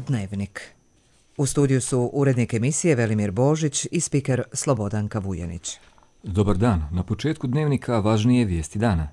Dnevnik. U studiju su urednik emisije Velimir Božić i spiker Slobodanka Vujanić. Dobar dan. Na početku Dnevnika važnije vijesti dana.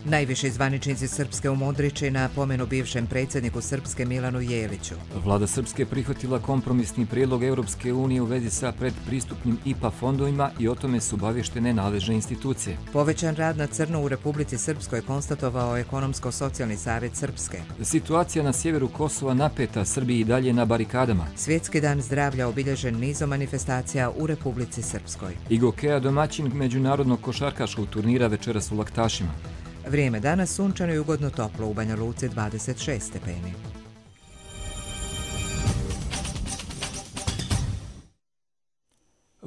Najviši zvaničnici Srpske u Modriči na pomenu bivšem predsjedniku Srpske Milanu Jeliću. Vlada Srpske prihvatila kompromisni prijedlog Europske unije u vezi sa predpristupnim IPA fondovima i o tome su obavještene nadležne institucije. Povećan rad na crno u Republici Srpskoj konstatovao Ekonomsko-socijalni savjet Srpske. Situacija na sjeveru Kosova napeta, Srbiji i dalje na barikadama. Svjetski dan zdravlja obilježen nizom manifestacija u Republici Srpskoj. IGOKEA domaćin međunarodnog košarkaškog turnira večeras u Laktašima. Vrijeme danas sunčano i ugodno toplo, u Banja Luci 26 stepeni.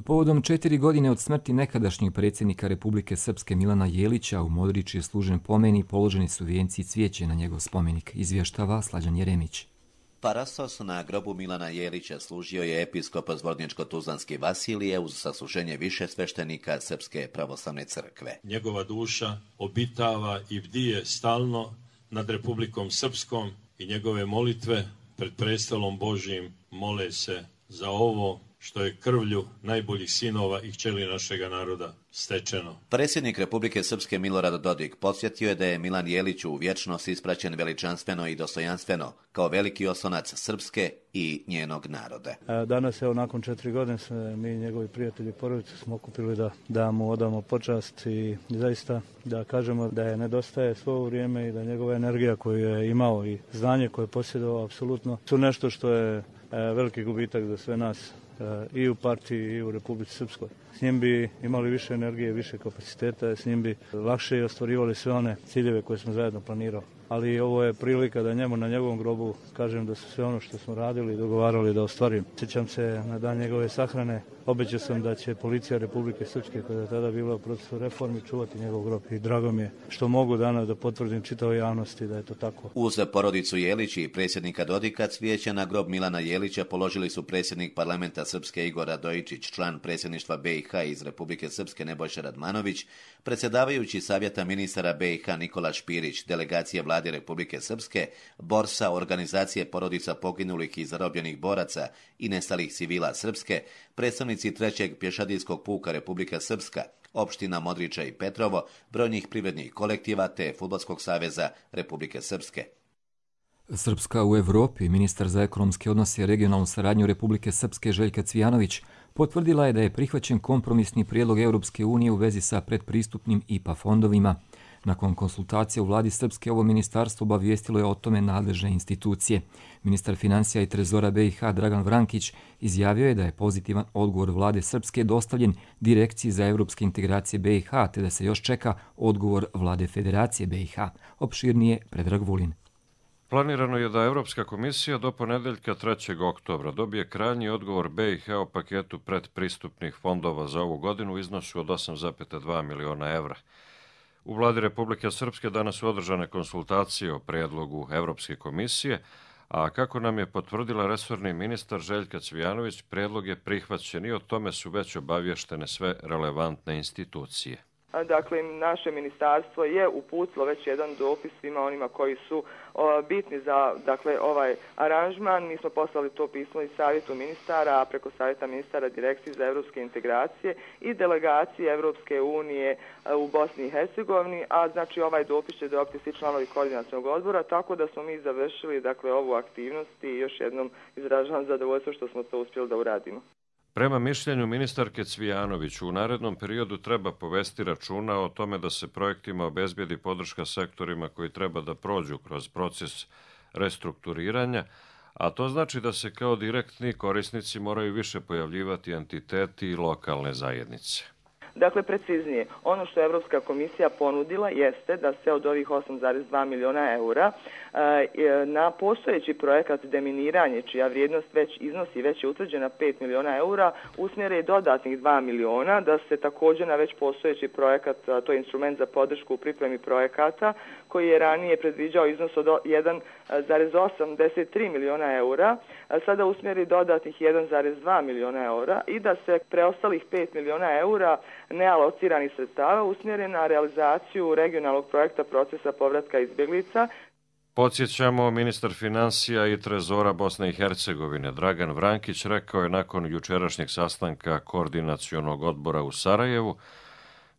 Povodom 4 godine od smrti nekadašnjeg predsjednika Republike Srpske Milana Jelića u Modriči je služen pomen i položeni su vijenci i cvijeće na njegov spomenik, izvještava Slađan Jeremić. Parastos na grobu Milana Jelića služio je episkop Zvorničko-Tuzlanski Vasilije uz sasluženje više sveštenika Srpske pravoslavne crkve. Njegova duša obitava i bdije stalno nad Republikom Srpskom i njegove molitve pred prestolom Božjim mole se za ovo što je krvlju najboljih sinova i kćeri našega naroda stečeno. Predsjednik Republike Srpske Milorad Dodik podsjetio je da je Milan Jelić u vječnost ispraćen veličanstveno i dostojanstveno kao veliki oslonac Srpske i njenog naroda. Danas, evo, nakon 4 godine mi i njegovi prijatelji i porodice smo okupili da mu odamo počast i zaista da kažemo da je nedostaje svo ovo vrijeme i da njegova energija koju je imao i znanje koje je posjedovao apsolutno su nešto što je veliki gubitak za sve nas i u partiji i u Republici Srpskoj. S njim bi imali više energije, više kapaciteta, s njim bi lakše ostvarivali sve one ciljeve koje smo zajedno planirali. Ali ovo je prilika da njemu na njegovom grobu kažem da su sve ono što smo radili i dogovarali da ostvarim. Sjećam se na dan njegove sahrane, obećao sam da će policija Republike Srpske, koja je tada bila u procesu reformi, čuvati njegov grob. I drago mi je što mogu danas da potvrdim čitavoj javnosti da je to tako. Uz porodicu Jelić i predsjednika Dodika cvijeće na grob Milana Jelića položili su predsjednik parlamenta Srpske Igor Radojičić, član predsjedništva BiH iz Republike Srpske Nebojša Radmanović, predsjedavajući savjeta ministara BiH Nikola Špirić, delegacije Vlade Republike Srpske, Borsa, organizacije porodica poginulih i zarobljenih boraca i nestalih civila Srpske, predstavnici 3. pješadijskog puka Republika Srpska, opština Modriča i Petrovo, brojnih privrednih kolektiva te Fudbalskog saveza Republike Srpske. Srpska u Evropi, ministar za ekonomske odnose i regionalnu saradnju Republike Srpske Željka Cvijanović potvrdila je da je prihvaćen kompromisni prijedlog Europske unije u vezi sa predpristupnim IPA fondovima. Nakon konsultacije u vladi Srpske ovo ministarstvo obavijestilo je o tome nadležne institucije. Ministar financija i trezora BiH Dragan Vrankić izjavio je da je pozitivan odgovor vlade Srpske dostavljen Direkciji za europske integracije BiH, te da se još čeka odgovor vlade Federacije BiH. Opširnije Predrag Vulin. Planirano je da Europska komisija do ponedeljka 3. oktobra dobije krajnji odgovor BiH o paketu predpristupnih fondova za ovu godinu u iznosu od 8,2 miliona evra. U vladi Republike Srpske danas su održane konsultacije o prijedlogu Europske komisije, a kako nam je potvrdila resorni ministar Željka Cvijanović, prijedlog je prihvaćen i o tome su već obavještene sve relevantne institucije. Dakle, naše ministarstvo je uputilo već jedan dopis svima onima koji su bitni za ovaj aranžman. Mi smo poslali to pismo i savjetu ministara, a preko savjeta ministara Direkciji za europske integracije i delegacije Europske unije u Bosni i Hercegovini, a znači ovaj dopis će dobiti svi članovi koordinacionog odbora, tako da smo mi završili ovu aktivnost i još jednom izražavam zadovoljstvo što smo to uspjeli da uradimo. Prema mišljenju ministarke Cvijanović, u narednom periodu treba povesti računa o tome da se projektima obezbijedi podrška sektorima koji treba da prođu kroz proces restrukturiranja, a to znači da se kao direktni korisnici moraju više pojavljivati entiteti i lokalne zajednice. Dakle, preciznije, ono što je Europska komisija ponudila jeste da se od ovih 8,2 miliona eura na postojeći projekat deminiranje, čija vrijednost već je utvrđena 5 miliona eura, usmjere dodatnih 2 miliona, da se također na već postojeći projekat, to je instrument za podršku u pripremi projekata, koji je ranije predviđao iznos od 1,83 miliona eura, sada usmjeri dodatnih 1,2 miliona eura i da se preostalih 5 miliona eura nealociranih sredstava usmjeren na realizaciju regionalnog projekta procesa povratka izbjeglica. Podsjećamo, ministar financija i trezora Bosne i Hercegovine Dragan Vrankić rekao je nakon jučerašnjeg sastanka koordinacionog odbora u Sarajevu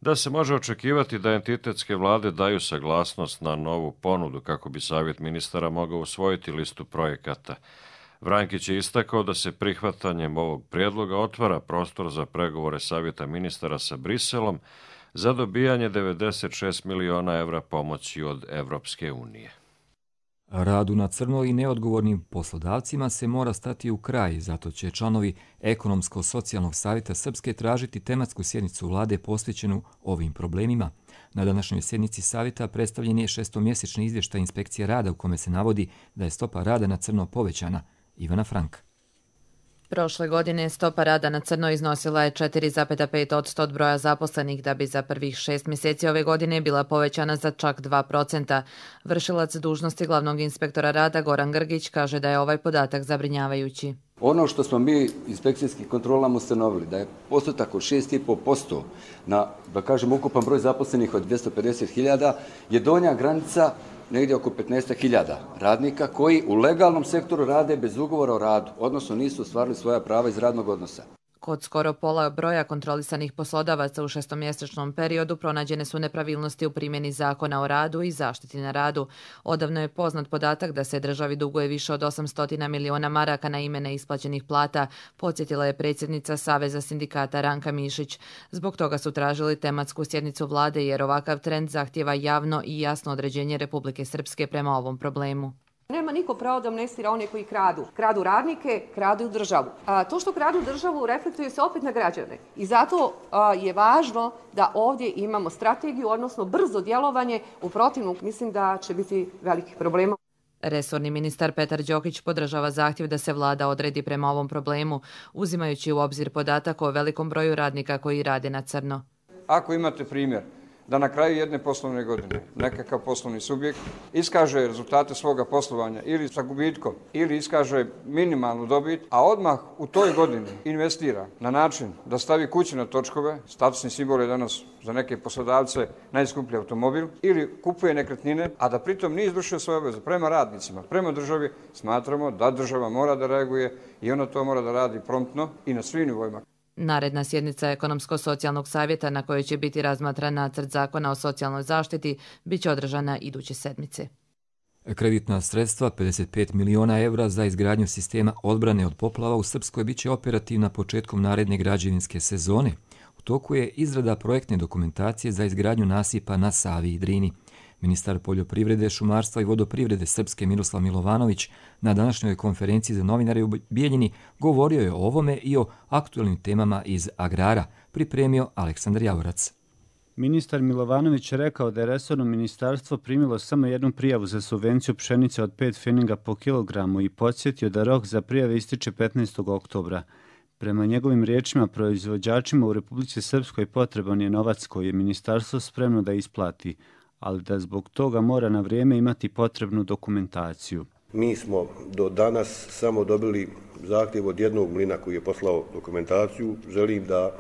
da se može očekivati da entitetske vlade daju saglasnost na novu ponudu kako bi savjet ministara mogao usvojiti listu projekata. Vrankić je istakao da se prihvatanjem ovog prijedloga otvara prostor za pregovore savjeta ministara sa Briselom za dobijanje 96 miliona evra pomoći od Evropske unije. Radu na crno i neodgovornim poslodavcima se mora stati u kraj, zato će članovi Ekonomsko-socijalnog savjeta Srpske tražiti tematsku sjednicu vlade posvećenu ovim problemima. Na današnjoj sjednici savjeta predstavljen je 6-mjesečni izvještaj inspekcije rada u kome se navodi da je stopa rada na crno povećana. Ivana Frank. Prošle godine stopa rada na crno iznosila je 4,5% od broja zaposlenih, da bi za prvih 6 mjeseci ove godine bila povećana za čak 2%. Vršilac dužnosti glavnog inspektora rada Goran Grgić kaže da je ovaj podatak zabrinjavajući. Ono što smo mi inspekcijskim kontrolama ustanovili, da je postotak od 6,5% na, da kažem, ukupan broj zaposlenih od 250.000 je donja granica negdje oko 15.000 radnika koji u legalnom sektoru rade bez ugovora o radu, odnosno nisu ostvarili svoja prava iz radnog odnosa. Kod skoro pola broja kontrolisanih poslodavaca u 6-mjesečnom periodu pronađene su nepravilnosti u primjeni zakona o radu i zaštiti na radu. Odavno je poznat podatak da se državi duguje više od 800 miliona maraka na ime neisplaćenih plata, podsjetila je predsjednica Saveza sindikata Ranka Mišić. Zbog toga su tražili tematsku sjednicu vlade jer ovakav trend zahtijeva javno i jasno određenje Republike Srpske prema ovom problemu. Nema niko pravo da amnestira one koji kradu. Kradu radnike, kradu državu. To što kradu državu reflektuje se opet na građane. I zato je važno da ovdje imamo strategiju, odnosno brzo djelovanje. U protivnom mislim da će biti velikih problema. Resorni ministar Petar Đokić podržava zahtjev da se vlada odredi prema ovom problemu, uzimajući u obzir podatak o velikom broju radnika koji rade na crno. Ako imate primjer da na kraju jedne poslovne godine nekakav poslovni subjekt iskaže rezultate svoga poslovanja ili sa gubitkom ili iskaže minimalnu dobit, a odmah u toj godini investira na način da stavi kuće na točkove, statusni simbol je danas za neke poslodavce najskuplji automobil, ili kupuje nekretnine, a da pritom nije izvršio svoje obveze prema radnicima, prema državi, smatramo da država mora da reaguje i ona to mora da radi promptno i na svim nivoima. Naredna sjednica Ekonomsko-socijalnog savjeta na kojoj će biti razmatran nacrt zakona o socijalnoj zaštiti bit će održana iduće sedmice. Kreditna sredstva 55 miliona evra za izgradnju sistema odbrane od poplava u Srpskoj bit će operativna početkom naredne građevinske sezone. U toku je izrada projektne dokumentacije za izgradnju nasipa na Savi i Drini. Ministar poljoprivrede, šumarstva i vodoprivrede Srpske Miroslav Milovanović na današnjoj konferenciji za novinare u Bijeljini govorio je o ovome i o aktualnim temama iz agrara, pripremio Aleksandar Javorac. Ministar Milovanović je rekao da je resorno ministarstvo primilo samo jednu prijavu za subvenciju pšenice od 5 pfeninga po kilogramu i podsjetio da rok za prijave ističe 15. oktobra. Prema njegovim riječima, proizvođačima u Republici Srpskoj potreban je novac koji je ministarstvo spremno da isplati, ali da zbog toga mora na vrijeme imati potrebnu dokumentaciju. Mi smo do danas samo dobili zahtjev od jednog mlina koji je poslao dokumentaciju. Želim da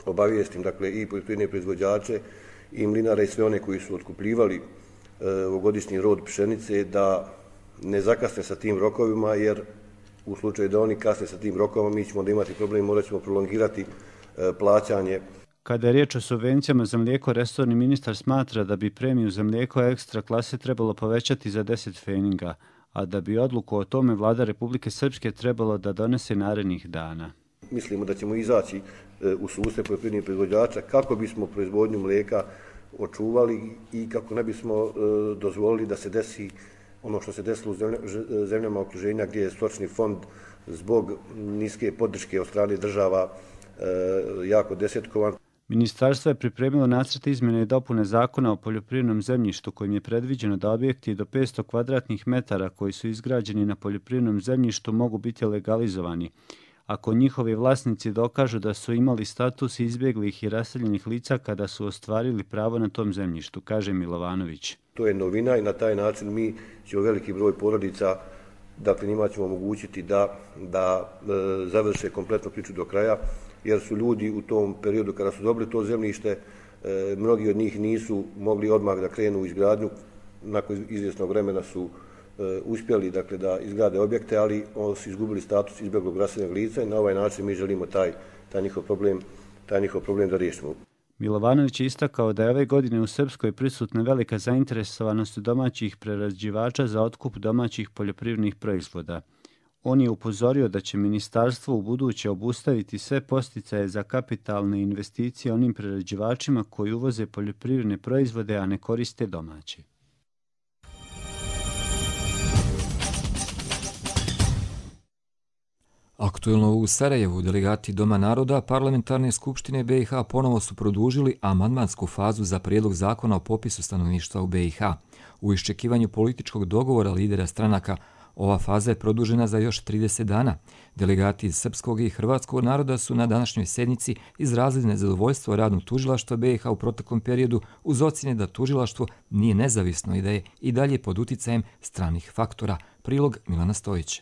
obavijestim i poljoprivredne proizvođače i mlinare i sve one koji su otkupljivali ovogodišnji rod pšenice da ne zakasne sa tim rokovima, jer u slučaju da oni kasne sa tim rokovima mi ćemo onda imati problem, morat ćemo prolongirati plaćanje. Kada je riječ o subvencijama za mlijeko, resorni ministar smatra da bi premiju za mlijeko ekstra klase trebalo povećati za 10 pfeninga, a da bi odluku o tome vlada Republike Srpske trebalo da donese narednih dana. Mislimo da ćemo izaći u susret poljoprivrednih proizvođača kako bismo proizvodnju mlijeka očuvali i kako ne bismo dozvolili da se desi ono što se desilo u zemljama okruženja gdje je stočni fond zbog niske podrške od strane država jako desetkovan. Ministarstvo je pripremilo nacrt izmjene i dopune zakona o poljoprivrednom zemljištu kojim je predviđeno da objekti do 500 kvadratnih metara koji su izgrađeni na poljoprivrednom zemljištu mogu biti legalizovani, ako njihovi vlasnici dokažu da su imali status izbjeglih i raseljenih lica kada su ostvarili pravo na tom zemljištu, kaže Milovanović. To je novina i na taj način mi ćemo veliki broj porodica, dakle njima ćemo omogućiti da završe kompletnu priču do kraja, jer su ljudi u tom periodu kada su dobili to zemljište, mnogi od njih nisu mogli odmah da krenu u izgradnju, nakon izvjesnog vremena su uspjeli dakle, da izgrade objekte, ali oni su izgubili status izbjeglog raseljenog lica i na ovaj način mi želimo taj njihov problem da riješimo. Milovanović je istakao da je ove godine u Srpskoj prisutna velika zainteresovanost domaćih prerađivača za otkup domaćih poljoprivrednih proizvoda. On je upozorio da će ministarstvo u buduće obustaviti sve podsticaje za kapitalne investicije onim prerađivačima koji uvoze poljoprivredne proizvode, a ne koriste domaće. Aktuelno u Sarajevu delegati Doma naroda Parlamentarne skupštine BiH ponovo su produžili amandmansku fazu za prijedlog zakona o popisu stanovništva u BiH. U iščekivanju političkog dogovora lidera stranaka, ova faza je produžena za još 30 dana. Delegati iz srpskog i hrvatskog naroda su na današnjoj sjednici izrazili nezadovoljstvo radom tužilaštva BiH u proteklom periodu uz ocjene da tužilaštvo nije nezavisno i da je i dalje pod uticajem stranih faktora. Prilog Milana Stojić.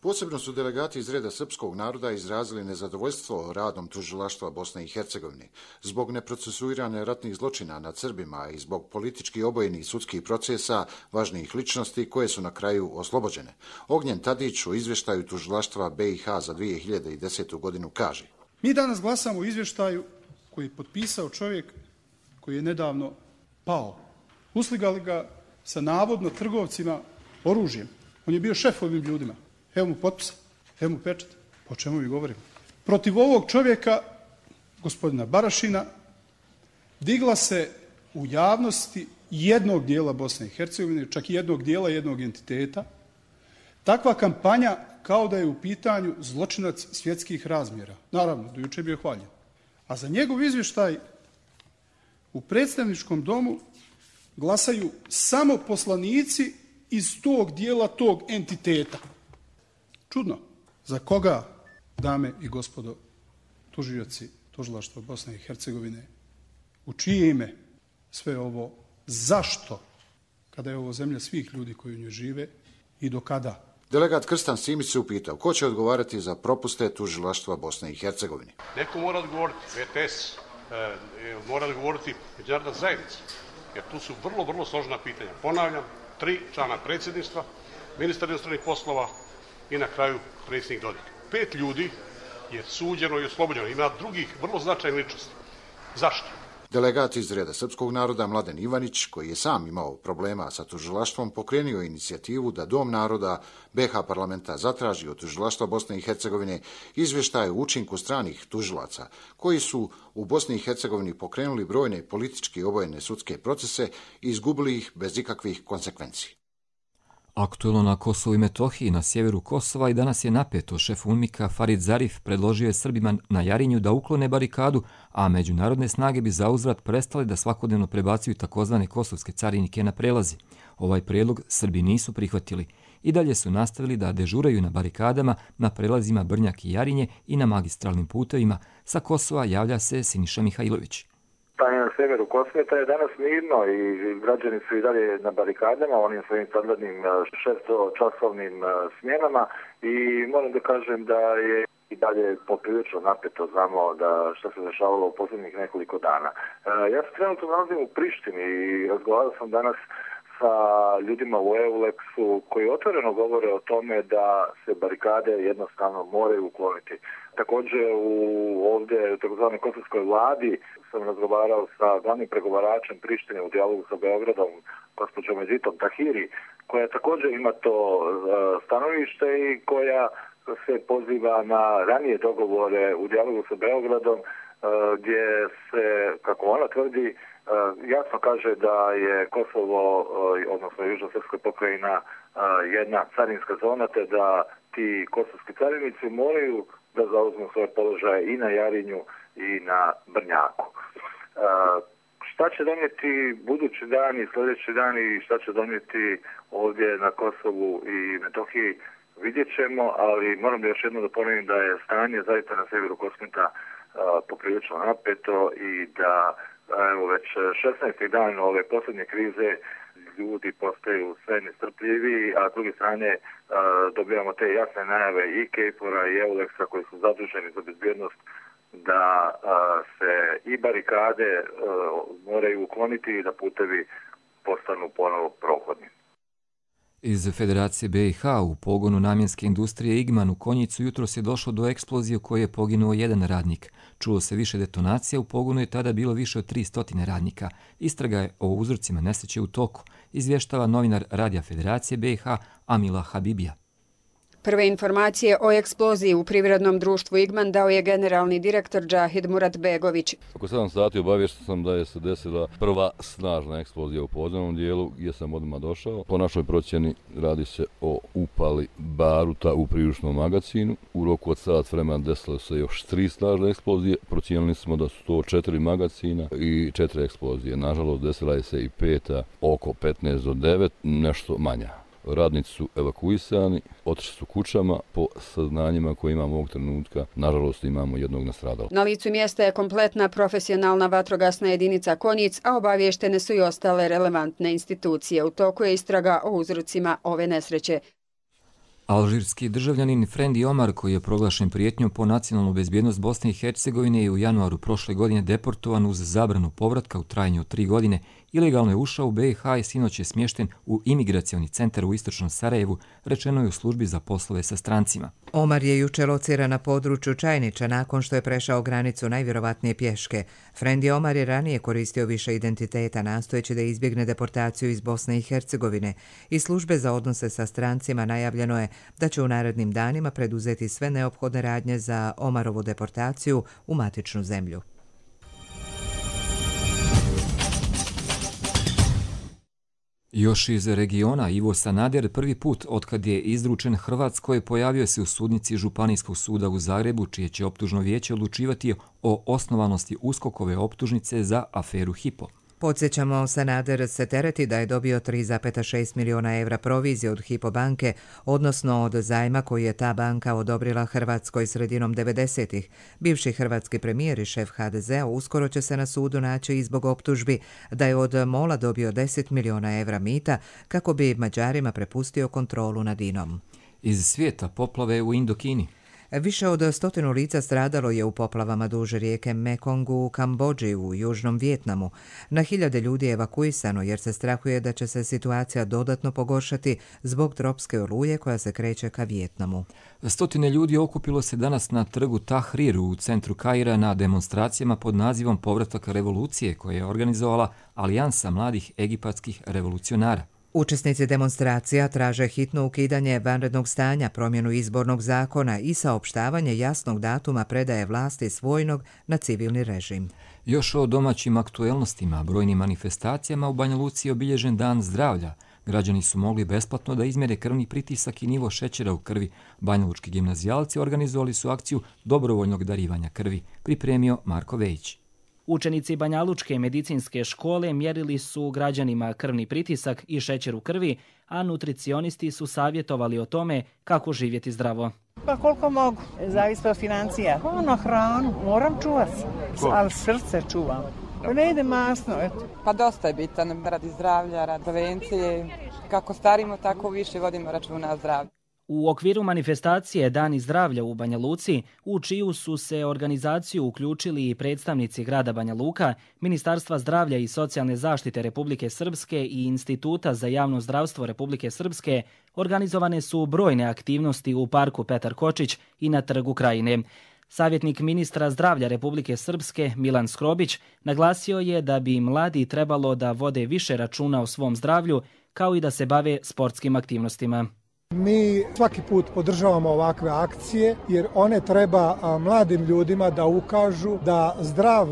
Posebno su delegati iz reda srpskog naroda izrazili nezadovoljstvo radom tužilaštva Bosne i Hercegovine zbog neprocesuiranja ratnih zločina nad Srbima i zbog politički obojenih sudskih procesa važnijih ličnosti koje su na kraju oslobođene. Ognjen Tadić u izvještaju tužilaštva BiH za 2010. godinu kaže: Mi danas glasamo o izvještaju koji je potpisao čovjek koji je nedavno pao. Usligali ga sa navodno trgovcima oružjem. On je bio šef ovim ljudima. Evo mu potpisa, evo mu pečat. Po čemu vi govorimo? Protiv ovog čovjeka, gospodina Barašina, digla se u javnosti jednog dijela Bosne i Hercegovine, čak i jednog dijela jednog entiteta, takva kampanja kao da je u pitanju zločinac svjetskih razmjera. Naravno, do juče je bio hvaljen. A za njegov izvještaj u predstavničkom domu glasaju samo poslanici iz tog dijela tog entiteta. Čudno. Za koga, dame i gospodo tužioci tužilaštva Bosne i Hercegovine, u čije ime sve ovo, zašto, kada je ovo zemlja svih ljudi koji u njoj žive i do kada? Delegat Krstan Simić se upitao ko će odgovarati za propuste tužilaštva Bosne i Hercegovine. Neko mora odgovoriti, VTS, mora odgovoriti međunarodna zajednica, jer tu su vrlo složena pitanja. Ponavljam, 3 člana predsjedništva, ministar inostranih poslova i na kraju predsjednik Dodik. 5 ljudi je suđeno i oslobođeno. Ima drugih vrlo značajnih ličnosti. Zašto? Delegat iz reda srpskog naroda Mladen Ivanić, koji je sam imao problema sa tužilaštvom, pokrenio inicijativu da Dom naroda BiH parlamenta zatraži od tužilaštva Bosne i Hercegovine izvještaje o učinku stranih tužilaca, koji su u Bosni i Hercegovini pokrenuli brojne politički obojene sudske procese i izgubili ih bez ikakvih konsekvenci. Aktuelno na Kosovu i Metohiji, na sjeveru Kosova, i danas je napeto. Šef UNMIK-a Farid Zarif predložio je Srbima na Jarinju da uklone barikadu, a međunarodne snage bi zauzvrat prestale da svakodnevno prebacuju takozvane kosovske carinike na prelazi. Ovaj prijedlog Srbi nisu prihvatili. I dalje su nastavili da dežuraju na barikadama na prelazima Brnjak i Jarinje i na magistralnim putevima. Sa Kosova javlja se Siniša Mihajlović. Stanje na severu Kosmeta je danas mirno i građani su i dalje na barikadama, onim svojim standardnim 6-časovnim smjenama i moram da kažem da je i dalje poprilično napeto, znamo da što se dešavalo u posljednjih nekoliko dana. Ja se trenutno nalazim u Prištini i razgovarao sam danas sa ljudima u EULEX-u koji otvoreno govore o tome da se barikade jednostavno moraju ukloniti. Također ovdje u tzv. kosovskoj vladi sam razgovarao sa glavnim pregovaračem Prištine u dijalogu sa Beogradom, gospođom Editom Tahiri, koja također ima to stanovište i koja se poziva na ranije dogovore u dijalogu sa Beogradom, gdje se, kako ona tvrdi, jasno kaže da je Kosovo, odnosno Južno-srpska pokrajina, jedna carinska zona, te da ti kosovski carinici moraju da zauzmu svoje položaje i na Jarinju i na Brnjaku. Šta će donijeti budući dan i sljedeći dan i šta će donijeti ovdje na Kosovu i Metohiji, vidjet ćemo, ali moram još jednom da ponovim da je stanje zaista na severu Kosmeta poprilično napeto i da evo već 16. dan ove posljednje krize ljudi postaju sve nestrpljiviji, a s druge strane dobijamo te jasne najave i KFOR-a i EULEX-a koji su zaduženi za bezbjednost da se i barikade moraju ukloniti i da putevi postanu ponovo prohodni. Iz Federacije BiH u pogonu namjenske industrije Igman u Konjicu jutros je došlo do eksplozije u kojoj je poginuo jedan radnik. Čulo se više detonacija, u pogonu je tada bilo više od 300 radnika. Istraga je o uzrocima nesreće u toku, izvještava novinar Radija Federacije BiH Amila Habibija. Prve informacije o eksploziji u privrednom društvu Igman dao je generalni direktor Džahid Muratbegović. Oko 7 sati obaviješten sam da je se desila prva snažna eksplozija u podzemnom dijelu gdje sam odmah došao. Po našoj procjeni radi se o upali baruta u priručnom magazinu. U roku od sat vremena desilo se još 3 snažne eksplozije. Procijenili smo da su to 4 magazina i 4 eksplozije. Nažalost, desila je se i 5 oko 15 do 9, nešto manja. Radnici su evakuisani, otišli su kućama. Po saznanjima koje imamo ovog trenutka, nažalost imamo jednog nastradalog. Na licu mjesta je kompletna profesionalna vatrogasna jedinica Konjic, a obavještene su i ostale relevantne institucije. U toku je istraga o uzrocima ove nesreće. Alžirski državljanin Frendi Omar, koji je proglašen prijetnjom po nacionalnu bezbjednost Bosne i Hercegovine, je u januaru prošle godine deportovan uz zabranu povratka u trajanju od 3 godine. Ilegalno je ušao u BiH i sinoć je smješten u imigracioni centar u istočnom Sarajevu, rečeno je u službi za poslove sa strancima. Omar je jučer lociran na području Čajnića nakon što je prešao granicu najvjerovatnije pješke. Frendi Omar je ranije koristio više identiteta, nastojeći da izbjegne deportaciju iz Bosne i Hercegovine. Iz službe za odnose sa strancima najavljeno je da će u narednim danima preduzeti sve neophodne radnje za Omarovu deportaciju u matičnu zemlju. Još iz regiona, Ivo Sanader prvi put otkad je izručen Hrvatskoj pojavio se u sudnici Županijskog suda u Zagrebu, čije će optužno vijeće odlučivati o osnovanosti USKOK-ove optužnice za aferu Hypo. Podsjećamo, Sanader se tereti da je dobio 3,6 milijuna evra provizije od Hypo banke, odnosno od zajma koji je ta banka odobrila Hrvatskoj sredinom 90-ih. Bivši hrvatski premijer i šef HDZ-a uskoro će se na sudu naći i zbog optužbi da je od MOL-a dobio 10 milijuna evra mita kako bi Mađarima prepustio kontrolu nad INA-om. Iz svijeta poplave u Indokini. Više od 100 lica stradalo je u poplavama duž rijeke Mekong u Kambodži u južnom Vijetnamu. Na hiljade ljudi je evakuisano jer se strahuje da će se situacija dodatno pogoršati zbog tropske oluje koja se kreće ka Vijetnamu. 100 ljudi okupilo se danas na trgu Tahrir u centru Kaira na demonstracijama pod nazivom Povratak revolucije koje je organizovala Alijansa mladih egipatskih revolucionara. Učesnici demonstracija traže hitno ukidanje vanrednog stanja, promjenu izbornog zakona i saopštavanje jasnog datuma predaje vlasti s vojnog na civilni režim. Još o domaćim aktuelnostima, brojnim manifestacijama u Banja Luci je obilježen Dan zdravlja. Građani su mogli besplatno da izmjere krvni pritisak i nivo šećera u krvi. Banjalučki gimnazijalci organizovali su akciju dobrovoljnog darivanja krvi, pripremio Marko Vejić. Učenici Banjalučke medicinske škole mjerili su građanima krvni pritisak i šećer u krvi, a nutricionisti su savjetovali o tome kako živjeti zdravo. Pa koliko mogu, zavisi od financija. Na hranu, moram čuvati, ali srce čuvam. Ne ide masno, eto. Pa dosta je bitan radi zdravlja, radi prevencije. Kako starimo, tako više vodimo računa o zdravlju. U okviru manifestacije Dani zdravlja u Banja Luci, u čiju su se organizaciju uključili i predstavnici grada Banja Luka, Ministarstva zdravlja i socijalne zaštite Republike Srpske i Instituta za javno zdravstvo Republike Srpske, organizovane su brojne aktivnosti u parku Petar Kočić i na trgu Krajine. Savjetnik ministra zdravlja Republike Srpske Milan Skrobić naglasio je da bi mladi trebalo da vode više računa o svom zdravlju, kao i da se bave sportskim aktivnostima. Mi svaki put podržavamo ovakve akcije jer one treba mladim ljudima da ukažu da zdrav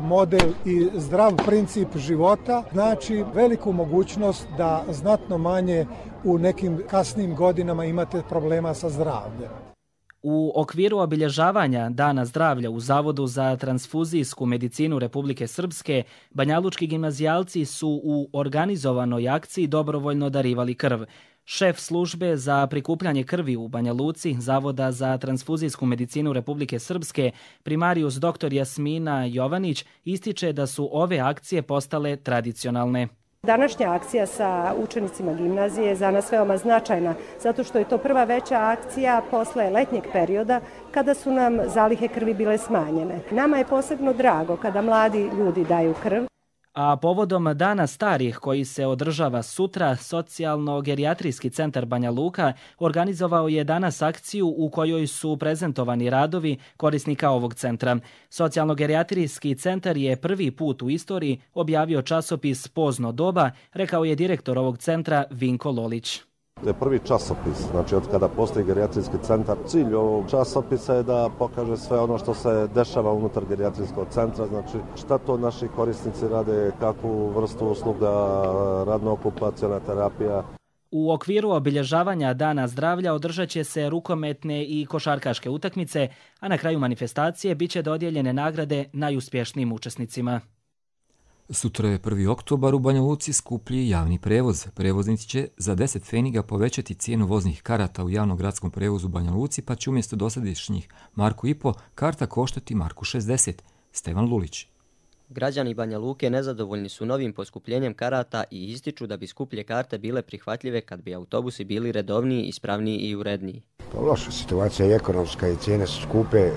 model i zdrav princip života znači veliku mogućnost da znatno manje u nekim kasnim godinama imate problema sa zdravljem. U okviru obilježavanja Dana zdravlja u Zavodu za transfuzijsku medicinu Republike Srpske, banjalučki gimnazijalci su u organizovanoj akciji dobrovoljno darivali krv. Šef službe za prikupljanje krvi u Banja Luci Zavoda za transfuzijsku medicinu Republike Srpske, primarius dr. Jasmina Jovanić, ističe da su ove akcije postale tradicionalne. Današnja akcija sa učenicima gimnazije je za nas veoma značajna, zato što je to prva veća akcija posle letnjeg perioda kada su nam zalihe krvi bile smanjene. Nama je posebno drago kada mladi ljudi daju krv. A povodom Dana starih koji se održava sutra, Socijalno-gerijatrijski centar Banja Luka organizovao je danas akciju u kojoj su prezentovani radovi korisnika ovog centra. Socijalno-gerijatrijski centar je prvi put u istoriji objavio časopis Pozno doba, rekao je direktor ovog centra Vinko Lolić. To je prvi časopis, znači od kada postoji gerijatrijski centar. Cilj ovog časopisa je da pokaže sve ono što se dešava unutar gerijatrijskog centra, znači šta to naši korisnici rade, kakvu vrstu usluga, radno-okupaciona terapija. U okviru obilježavanja Dana zdravlja održat će se rukometne i košarkaške utakmice, a na kraju manifestacije bit će dodijeljene nagrade najuspješnijim učesnicima. Sutra je 1. oktobar, u Banja Luci skuplji javni prevoz. Prevoznici će za 10 pfeniga povećati cijenu voznih karata u javnom gradskom prevozu u Banja Luci, pa će umjesto dosadašnjih Marku 1,5 karta koštati Marku 60. Stevan Lulić. Građani Banja Luke nezadovoljni su novim poskupljenjem karata i ističu da bi skuplje karte bile prihvatljive kad bi autobusi bili redovniji, ispravniji i uredniji. Loša situacija je ekonomska i cijene su skupe,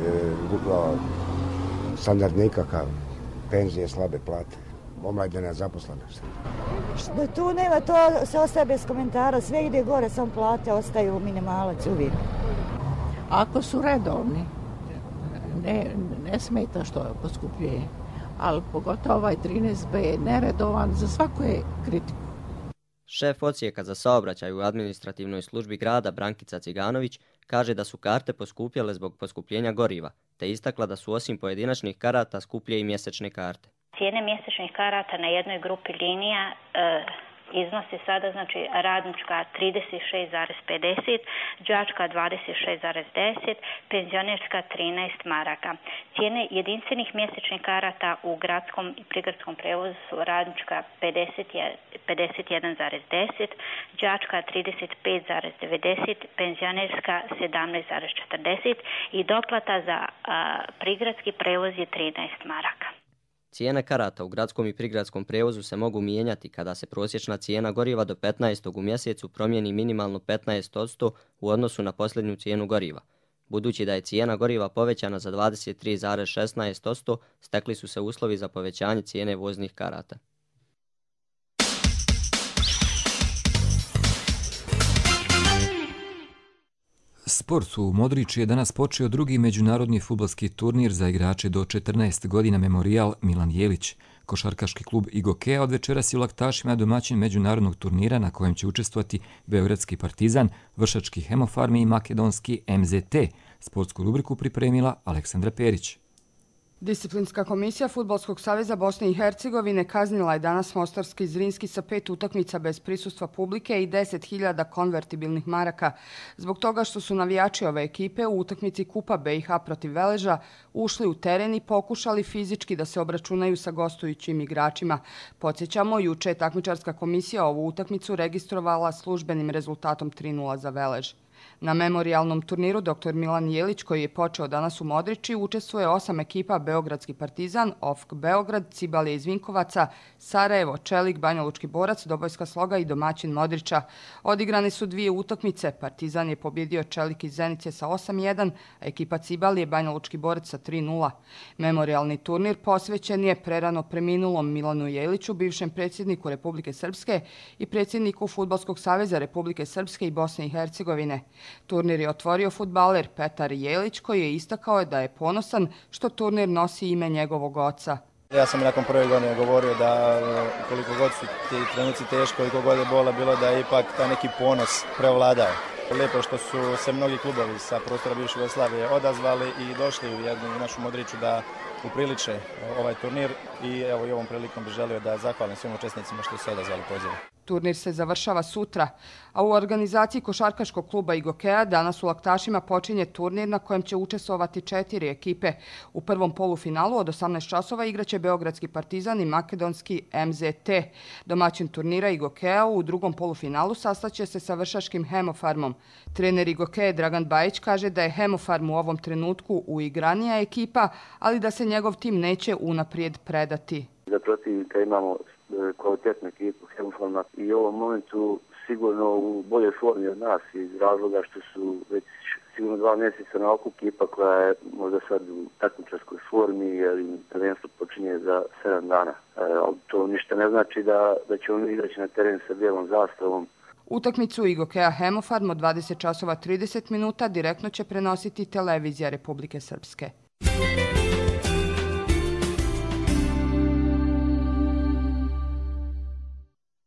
standard nikakav, penzije, slabe plate. Omladina zaposlenost. Tu nema, to se ostaje bez komentara, sve ide gore, samo plate ostaju minimalac uvijek. Ako su redovni, ne smeta što poskupljuje, ali pogotovo ovaj 13B je neredovan, za svaku je kritiku. Šef odsjeka za saobraćaj u administrativnoj službi grada Brankica Ciganović kaže da su karte poskupjele zbog poskupljenja goriva, te istakla da su osim pojedinačnih karata skuplje i mjesečne karte. Cijene mjesečnih karata na jednoj grupi linija iznose sada, znači radnička 36,50, đačka 26,10, penzionerska 13 maraka. Cijene jedinstvenih mjesečnih karata u gradskom i prigradskom prevozu su radnička 51,10, đačka 35,90, penzionerska 17,40 i doplata za prigradski prevoz je 13 maraka. Cijene karata u gradskom i prigradskom prevozu se mogu mijenjati kada se prosječna cijena goriva do 15. u mjesecu promijeni minimalno 15% u odnosu na posljednju cijenu goriva. Budući da je cijena goriva povećana za 23,16%, stekli su se uslovi za povećanje cijene voznih karata. Sport u Modriću je danas počeo drugi međunarodni fudbalski turnir za igrače do 14 godina Memorijal Milan Jelić. Košarkaški klub Igokea od večeras je u Laktašima domaćin međunarodnog turnira na kojem će učestvovati Beogradski Partizan, Vršački Hemofarmi i makedonski MZT. Sportsku rubriku pripremila Aleksandra Perić. Disciplinska komisija Fudbalskog saveza Bosne i Hercegovine kaznila je danas Mostarski Zrinski sa 5 utakmica bez prisustva publike i 10.000 konvertibilnih maraka zbog toga što su navijači ove ekipe u utakmici Kupa BiH protiv Veleža ušli u teren i pokušali fizički da se obračunaju sa gostujućim igračima. Podsjećamo, juče je takmičarska komisija ovu utakmicu registrovala službenim rezultatom 3:0 za Velež. Na memorijalnom turniru dr. Milan Jelić, koji je počeo danas u Modrići, učestvuje 8 ekipa: Beogradski Partizan, OFK Beograd, Cibalije iz Vinkovaca, Sarajevo, Čelik, Banja Lučki Borac, Dobojska Sloga i domaćin Modrića. Odigrane su 2 utakmice. Partizan je pobjedio Čelik iz Zenice sa 8:1, a ekipa Cibalije Banja Lučki Borac sa 3:0. Memorijalni turnir posvećen je prerano preminulom Milanu Jeliću, bivšem predsjedniku Republike Srpske i predsjedniku Fudbalskog saveza Republike Srpske i Bosne i Hercegovine. Turnir je otvorio fudbaler Petar Jelić, koji je istakao da je ponosan što turnir nosi ime njegovog oca. Ja sam nakon prve godine govorio da koliko god su ti trenuci teško, koliko god je bola bilo, da je ipak taj neki ponos prevladao. Lijepo što su se mnogi klubovi sa prostora bivše Jugoslavije odazvali i došli u jednu našu Modriću da upriliče ovaj turnir i evo i ovom prilikom bih želio da zahvalim svim učesnicima što se odazvali pozivu. Turnir se završava sutra, a u organizaciji košarkaškog kluba Igokea danas u Laktašima počinje turnir na kojem će učestvovati 4 ekipe. U prvom polufinalu od 18 časova igraće Beogradski Partizan i makedonski MZT. Domaćin turnira Igokea u drugom polufinalu sastaće se sa Vršačkim Hemofarmom. Trener Igokea Dragan Bajić kaže da je Hemofarm u ovom trenutku uigranija ekipa, ali da se njegov tim neće unaprijed predati. Za protivnika imamo kvalitetnu ekipu Hemofarma i u ovom momentu sigurno u boljoj formi od nas iz razloga što su već sigurno 2 mjeseca na oku ekipa koja je možda sad u takmičarskoj formi jer im prvenstvo počinje za 7 dana. Ali to ništa ne znači da ćemo izaći na teren sa bijelom zastavom. Utakmicu IGOKEA Hemofarm od 20 časova 30 minuta direktno će prenositi televizija Republike Srpske.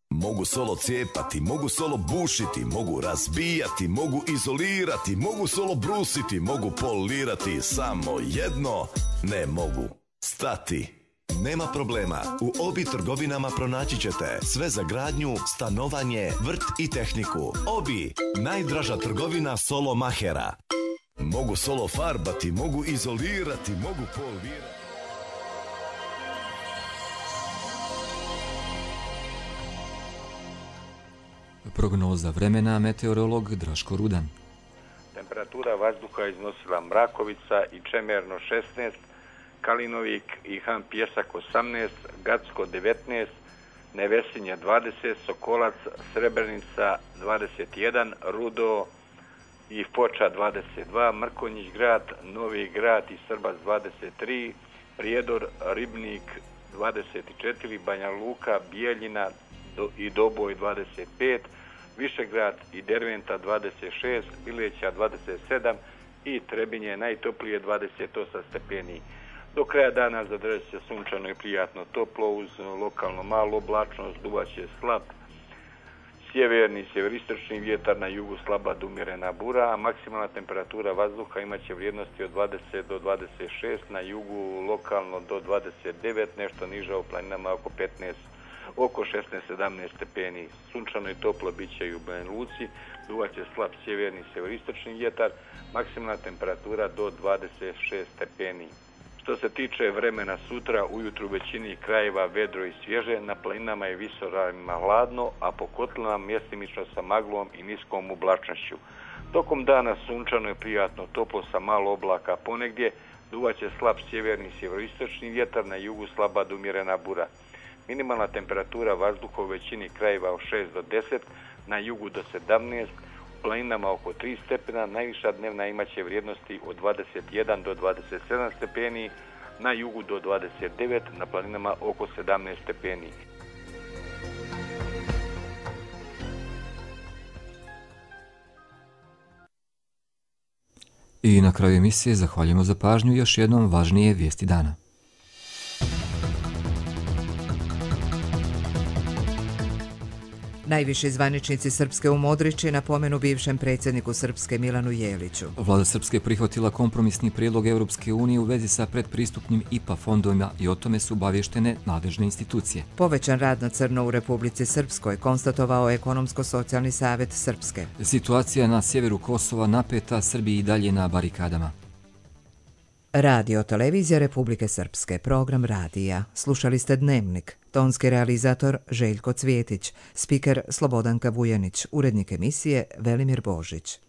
Mogu solo cijepati, mogu solo bušiti, mogu razbijati, mogu izolirati, mogu solo brusiti, mogu polirati, samo jedno ne mogu stati. Nema problema, u Obi trgovinama pronaći ćete sve za gradnju, stanovanje, vrt i tehniku. Obi, najdraža trgovina solo mahera. Mogu solo farbati, mogu izolirati, mogu polirati. Prognoza vremena, meteorolog Draško Rudan. Temperatura vazduha iznosila Mrakovica i Čemerno 16, Kalinovik i Han Pjesak 18, Gacko 19, Nevesinje 20, Sokolac, Srebrenica 21, Rudo i Foča 22, Mrkonjić grad, Novi grad i Srbac 23, Prijedor, Ribnik 24, Banja Luka, Bijeljina i Doboj 25, Višegrad i Derventa 26, Bileća 27 i Trebinje najtoplije 28 stepeni. Do kraja dana zadržat će sunčano i prijatno toplo uz lokalno malu oblačnost, duvaće slab sjeverni, sjeveristočni vjetar, na jugu slaba do umjerena bura, a maksimalna temperatura vazduha imaće vrijednosti od 20 do 26, na jugu lokalno do 29, nešto niža u planinama oko 16-17 stepeni. Sunčano i toplo bit će i u Banja Luci, duvaće slab sjeverni, sjeveristočni vjetar, maksimalna temperatura do 26 stepeni. Što se tiče vremena sutra, ujutru u većini krajeva vedro i svježe, na planinama i visoravnima hladno, a po kotlinama mjestimično sa maglom i niskom oblačnošću. Tokom dana sunčano i prijatno toplo sa malo oblaka ponegdje, duvaće slab sjeverni i sjeveroistočni vjetar, na jugu slaba do umjerena bura. Minimalna temperatura vazduha u većini krajeva od 6 do 10, na jugu do 17, u planinama oko 3 stepena, najviša dnevna imaće vrijednosti od 21 do 27 stepeni, na jugu do 29, na planinama oko 17 stepeni. I na kraju emisije zahvaljujemo za pažnju, još jednom važnije vijesti dana. Najviši zvaničnici Srpske u Modriči napomenu bivšem predsjedniku Srpske Milanu Jeliću. Vlada Srpske prihvatila kompromisni prijedlog Europske unije u vezi sa predpristupnim IPA fondovima i o tome su obavještene nadležne institucije. Povećan rad na crno u Republici Srpskoj, konstatovao Ekonomsko-socijalni savjet Srpske. Situacija na sjeveru Kosova napeta, Srbiji i dalje na barikadama. Radio televizija Republike Srpske, program radija. Slušali ste Dnevnik. Tonski realizator Željko Cvjetić, spiker Slobodanka Vujanić, urednik emisije Velimir Božić.